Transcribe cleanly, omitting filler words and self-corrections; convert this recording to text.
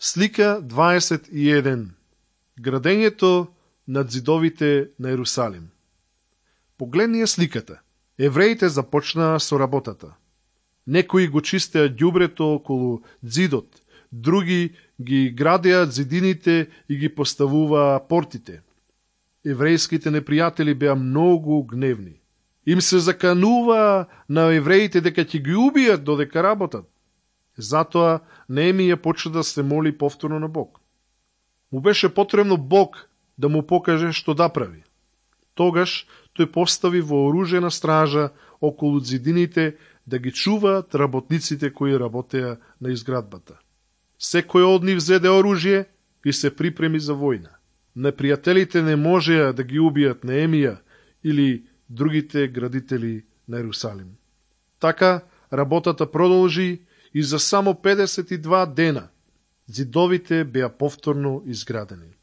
Слика 21. Градењето над зидовите на Ерусалим. Погледни ја сликата. Евреите започнаа со работата. Некои го чистеа ѓубрето околу зидот, други ги градеа зидините и ги поставуваа портите. Еврејските непријатели беа многу гневни. Им се закануваа на евреите дека ќе ги убијат додека работат. Затоа Неемија почна да се моли повторно на Бог. Му беше потребно Бог да му покаже што да прави. Тогаш тој постави вооружена стража околу зидините да ги чуваат работниците кои работеа на изградбата. Секој од нив зеде оружје и се припреми за војна. Непријателите не можеа да ги убијат Неемија или другите градители на Ерусалим. Така работата продолжи и за само 52 дена зидовите беа повторно изградени.